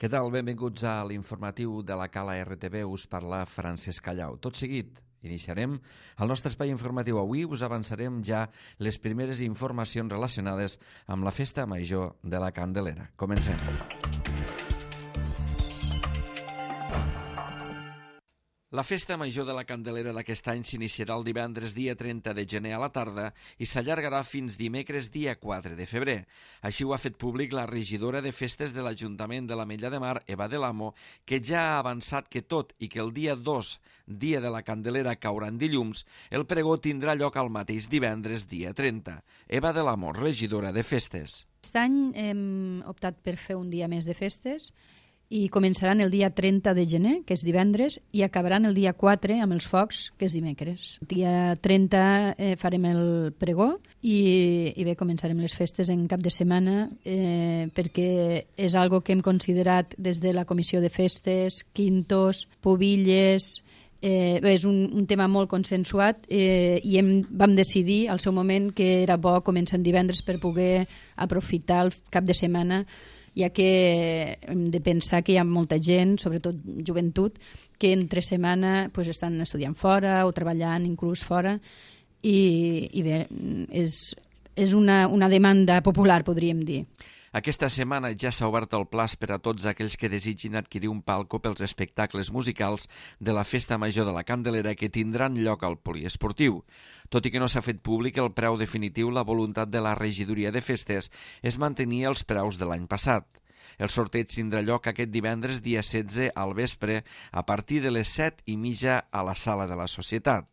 Què tal? Benvinguts a l'informatiu de la Cala RTV. Us parla Francesc Callau. Tot seguit, iniciarem el nostre espai informatiu. Avui us avançarem ja les primeres informacions relacionades amb la Festa Major de la Candelera. Comencem. La Festa Major de la Candelera d'aquest any s'iniciarà el divendres dia 30 de gener a la tarda i s'allargarà fins dimecres dia 4 de febrer. Així ho ha fet públic la regidora de festes de l'Ajuntament de l'Ametlla de Mar, Eva del Amo, que ja ha avançat que tot i que el dia 2, dia de la Candelera, caurà en dilluns, el pregó tindrà lloc al mateix divendres dia 30. Eva del Amo, regidora de festes. Aquest any hem optat per fer un dia més de festes i començaran el dia 30 de gener, que és divendres, i acabaran el dia 4 amb els focs, que és dimecres. El dia 30 farem el pregó i bé, començarem les festes en cap de setmana perquè és algo que hem considerat des de la Comissió de Festes, quintos, pubilles. És un tema molt consensuat i vam decidir al seu moment que era bo començar en divendres per poder aprofitar el cap de setmana, ja que hem de pensar que hi ha molta gent, sobretot joventut, que entre setmana estan estudiant fora o treballant inclús fora i bé, és una demanda popular, podríem dir. Aquesta setmana ja s'ha obert el plaç per a tots aquells que desitgin adquirir un palco pels espectacles musicals de la Festa Major de la Candelera que tindran lloc al poliesportiu. Tot i que no s'ha fet públic el preu definitiu, la voluntat de la regidoria de festes és mantenir els preus de l'any passat. El sorteig tindrà lloc aquest divendres dia 16 al vespre a partir de les 7:30 a la sala de la Societat.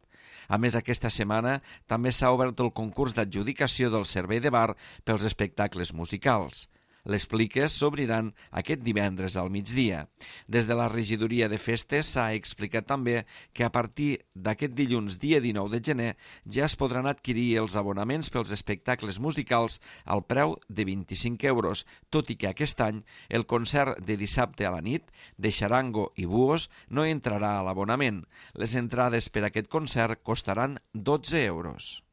A més, aquesta setmana també s'ha obert el concurs d'adjudicació del servei de bar pels espectacles musicals. Les pliques s'obriran aquest divendres al migdia. Des de la regidoria de festes s'ha explicat també que a partir d'aquest dilluns, dia 19 de gener, ja es podran adquirir els abonaments pels espectacles musicals al preu de 25 euros, tot i que aquest any el concert de dissabte a la nit de Xarango i Buos no entrarà a l'abonament. Les entrades per a aquest concert costaran 12 euros.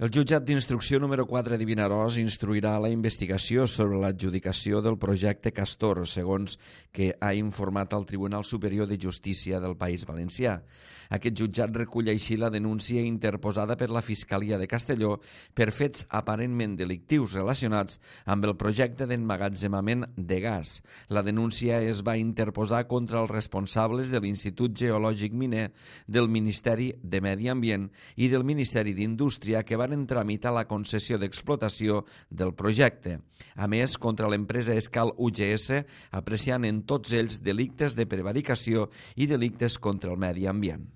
El jutjat d'instrucció número 4 de Vinaròs instruirà la investigació sobre l'adjudicació del projecte Castor, segons que ha informat el Tribunal Superior de Justícia del País Valencià. Aquest jutjat recull així la denúncia interposada per la Fiscalia de Castelló per fets aparentment delictius relacionats amb el projecte d'emmagatzemament de gas. La denúncia es va interposar contra els responsables de l'Institut Geològic Miner, del Ministeri de Medi Ambient i del Ministeri d'Indústria que van tramitar la concessió d'explotació del projecte. A més, contra l'empresa Escal UGS, apreciant en tots ells delictes de prevaricació i delictes contra el medi ambient.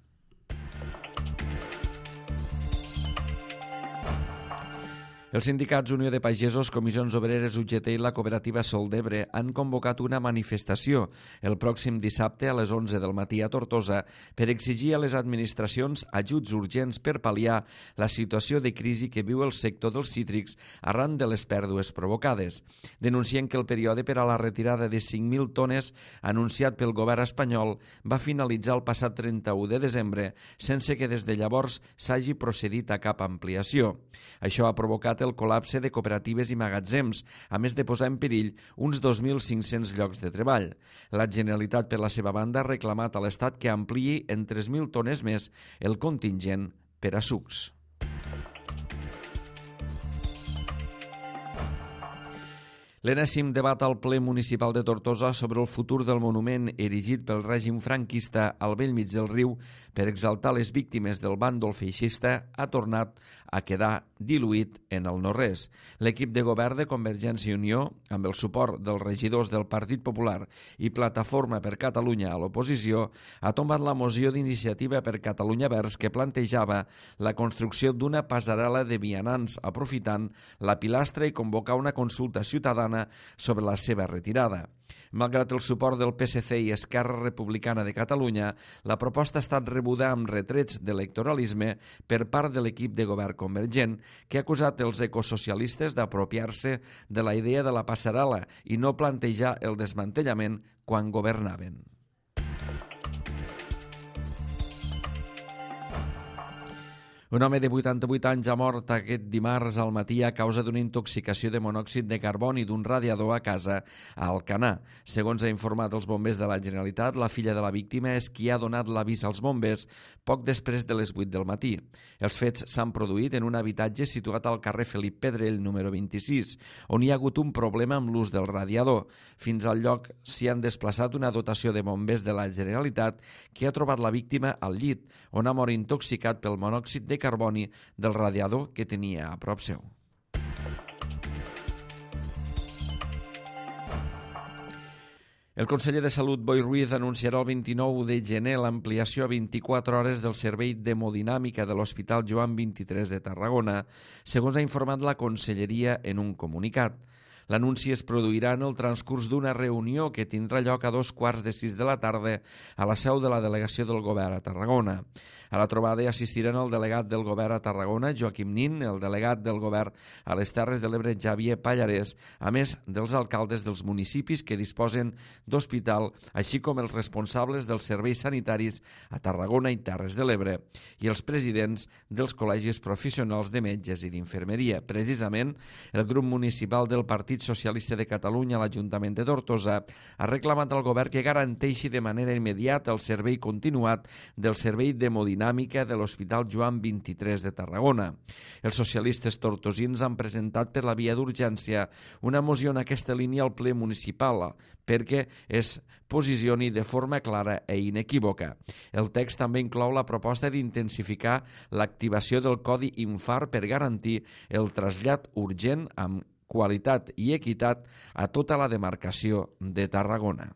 Els sindicats Unió de Pagesos, Comissions Obreres, UGT i la cooperativa Sol d'Ebre han convocat una manifestació el pròxim dissabte a les 11 del matí a Tortosa per exigir a les administracions ajuts urgents per pal·liar la situació de crisi que viu el sector dels cítrics arran de les pèrdues provocades. Denuncien que el període per a la retirada de 5.000 tones anunciat pel govern espanyol va finalitzar el passat 31 de desembre sense que des de llavors s'hagi procedit a cap ampliació. Això ha provocat el col·lapse de cooperatives i magatzems, a més de posar en perill uns 2.500 llocs de treball. La Generalitat, per la seva banda, ha reclamat a l'Estat que ampliï en 3.000 tones més el contingent per a sucs. L'enèsim debat al ple municipal de Tortosa sobre el futur del monument erigit pel règim franquista al bell mig del riu per exaltar les víctimes del bàndol feixista ha tornat a quedar diluït en el no-res. L'equip de govern de Convergència i Unió, amb el suport dels regidors del Partit Popular i Plataforma per Catalunya a l'oposició, ha tombat la moció d'Iniciativa per Catalunya Verds que plantejava la construcció d'una passarel·la de vianants aprofitant la pilastra i convocar una consulta ciutadana sobre la seva retirada. Malgrat el suport del PSC i Esquerra Republicana de Catalunya, la proposta ha estat rebuda amb retrets d'electoralisme per part de l'equip de govern convergent, que ha acusat els ecosocialistes d'apropiar-se de la idea de la passarel·la i no plantejar el desmantellament quan governaven. Un home de 88 anys ha mort aquest dimarts al matí a causa d'una intoxicació de monòxid de carboni d'un radiador a casa a Alcanar. Segons ha informat els bombers de la Generalitat, la filla de la víctima és qui ha donat l'avís als bombers poc després de les 8 del matí. Els fets s'han produït en un habitatge situat al carrer Felip Pedrell, número 26, on hi ha hagut un problema amb l'ús del radiador. Fins al lloc s'hi han desplaçat una dotació de bombers de la Generalitat que ha trobat la víctima al llit, on ha mort intoxicat pel monòxid de carboni del radiador que tenia a prop seu. El conseller de Salut, Boi Ruiz, anunciarà el 29 de gener l'ampliació a 24 hores del servei d'hemodinàmica de l'Hospital Joan XXIII de Tarragona, segons ha informat la Conselleria en un comunicat. L'anunci es produirà en el transcurs d'una reunió que tindrà lloc a 5:15 de la tarda a la seu de la delegació del Govern a Tarragona. A la trobada hi assistiran el delegat del Govern a Tarragona, Joaquim Nin, el delegat del Govern a les Terres de l'Ebre, Xavier Pallarès, a més dels alcaldes dels municipis que disposen d'hospital, així com els responsables dels serveis sanitaris a Tarragona i Terres de l'Ebre i els presidents dels col·legis professionals de metges i d'infermeria. Precisament, el grup municipal del Partit Socialista de Catalunya a l'Ajuntament de Tortosa ha reclamat al govern que garanteixi de manera immediata el servei continuat del servei d'hemodinàmica de l'Hospital Joan XXIII de Tarragona. Els socialistes tortosins han presentat per la via d'urgència una moció en aquesta línia al ple municipal perquè es posicioni de forma clara i inequívoca. El text també inclou la proposta d'intensificar l'activació del codi infart per garantir el trasllat urgent amb qualitat i equitat a tota la demarcació de Tarragona.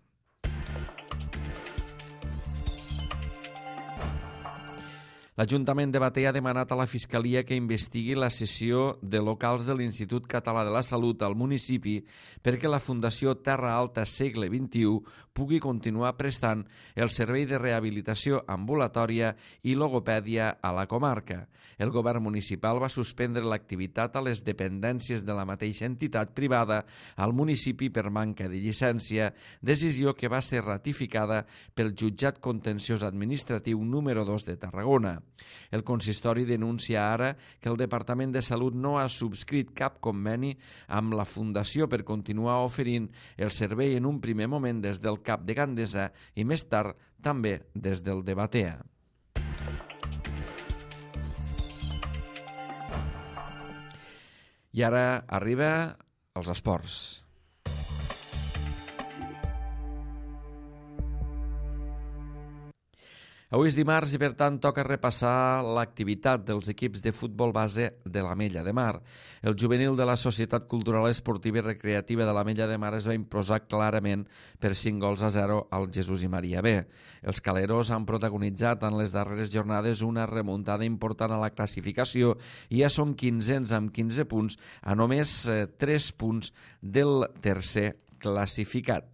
L'Ajuntament de Batea ha demanat a la Fiscalia que investigui la cessió de locals de l'Institut Català de la Salut al municipi perquè la Fundació Terra Alta Segle XXI pugui continuar prestant el servei de rehabilitació ambulatòria i logopèdia a la comarca. El govern municipal va suspendre l'activitat a les dependències de la mateixa entitat privada al municipi per manca de llicència, decisió que va ser ratificada pel Jutjat Contenciós Administratiu número 2 de Tarragona. El consistori denuncia ara que el Departament de Salut no ha subscrit cap conveni amb la Fundació per continuar oferint el servei en un primer moment des del CAP de Gandesa i més tard també des del de Batea. I ara arriba els esports. Avui és dimarts i, per tant, toca repassar l'activitat dels equips de futbol base de l'Ametlla de Mar. El juvenil de la Societat Cultural Esportiva i Recreativa de l'Ametlla de Mar es va imposar clarament per 5-0 al Jesús i Maria B. Els caleros han protagonitzat en les darreres jornades una remuntada important a la classificació i ja són 15ens amb 15 punts a només 3 punts del tercer classificat.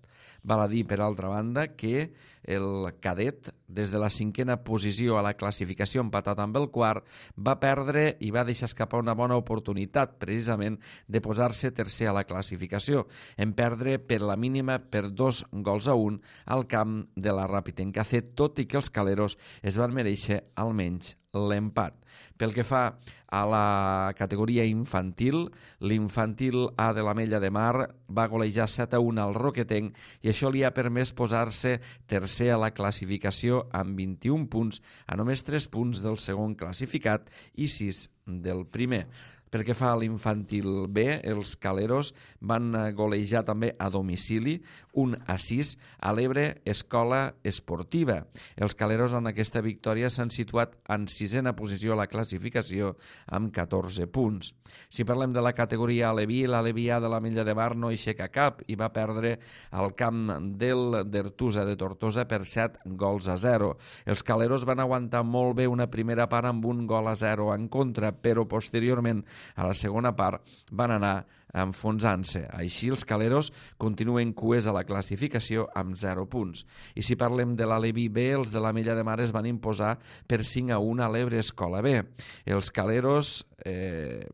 Val a dir, per altra banda, que el cadet, des de la 5a posició a la classificació, empatat amb el quart, va perdre i va deixar escapar una bona oportunitat, precisament, de posar-se tercer a la classificació, en perdre per la mínima per 2-1 al camp de la Ràpid Encacet, tot i que els caleros es van mereixer almenys l'empat. Pel que fa a la categoria infantil, l'infantil A de l'Ametlla de Mar va golejar 7-1 al Roquetenc i això li ha permès posar-se tercer a la classificació amb 21 punts, a només 3 punts del segon classificat i 6 del primer. Pel que fa a l'infantil B, els caleros van golejar també a domicili 1-6 a l'Ebre Escola Esportiva. Els caleros en aquesta victòria s'han situat en 6a posició a la classificació amb 14 punts. Si parlem de la categoria Aleví, l'Aleví A de l'Ametlla de Mar no aixeca cap i va perdre al camp del d'Ertusa de Tortosa per 7-0. Els caleros van aguantar molt bé una primera part amb 1-0 en contra, però posteriorment a la segona part van anar enfonsant-se. Així, els caleros continuen cues a la classificació amb 0 punts. I si parlem de l'Aleví B, els de l'Ametlla de Mar es van imposar per 5-1 a l'Ebre Escola B. Els caleros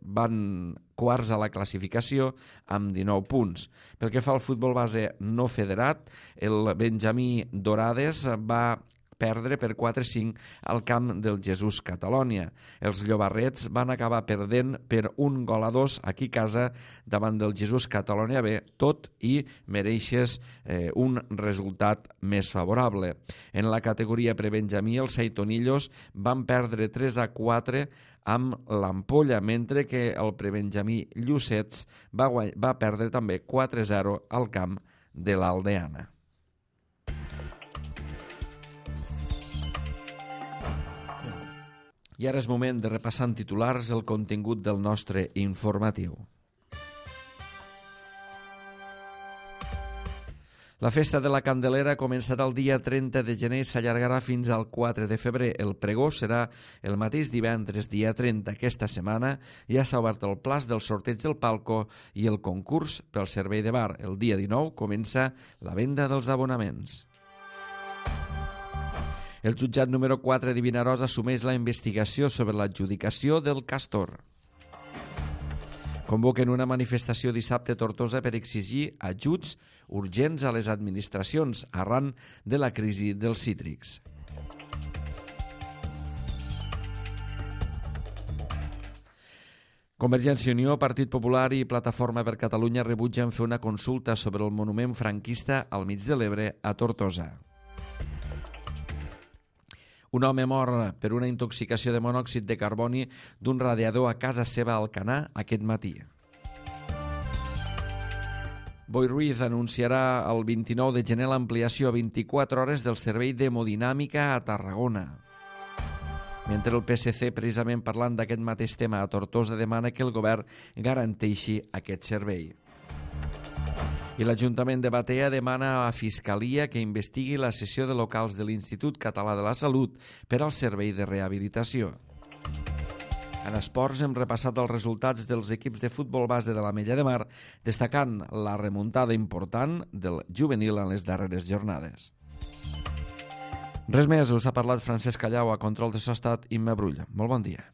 van quarts a la classificació amb 19 punts. Pel que fa al futbol base no federat, el Benjamí Dorades va perdre per 4-5 al camp del Jesús Catalònia. Els llobarrets van acabar perdent per 1-2 aquí a casa davant del Jesús Catalònia B, tot i mereixes un resultat més favorable. En la categoria prebenjamí, els saitonillos van perdre 3-4 amb l'Ampolla, mentre que el prebenjamí Llucets va perdre també 4-0 al camp de l'Aldeana. I ara és moment de repassar en titulars el contingut del nostre informatiu. La festa de la Candelera començarà el dia 30 de gener i s'allargarà fins al 4 de febrer. El pregó serà el mateix divendres, dia 30. Aquesta setmana ja s'ha obert el plaç del sorteig del palco i el concurs pel servei de bar. El dia 19 comença la venda dels abonaments. El jutjat número 4 de Vinaròs assumeix la investigació sobre l'adjudicació del Castor. Convoquen una manifestació dissabte a Tortosa per exigir ajuts urgents a les administracions arran de la crisi dels cítrics. Convergència i Unió, Partit Popular i Plataforma per Catalunya rebutgen fer una consulta sobre el monument franquista al mig de l'Ebre a Tortosa. Un home mor per una intoxicació de monòxid de carboni d'un radiador a casa seva a Alcanar aquest matí. Boi Ruiz anunciarà el 29 de gener l'ampliació a 24 hores del servei d'hemodinàmica a Tarragona. Mentre el PSC, precisament parlant d'aquest mateix tema a Tortosa, demana que el govern garanteixi aquest servei. I l'Ajuntament de Batea demana a la Fiscalia que investigui la cessió de locals de l'Institut Català de la Salut per al servei de rehabilitació. En esports hem repassat els resultats dels equips de futbol base de l'Ametlla de Mar, destacant la remuntada important del juvenil en les darreres jornades. Res més, us ha parlat Francesc Callau, a control de so ha estat Imma Brulla. Molt bon dia.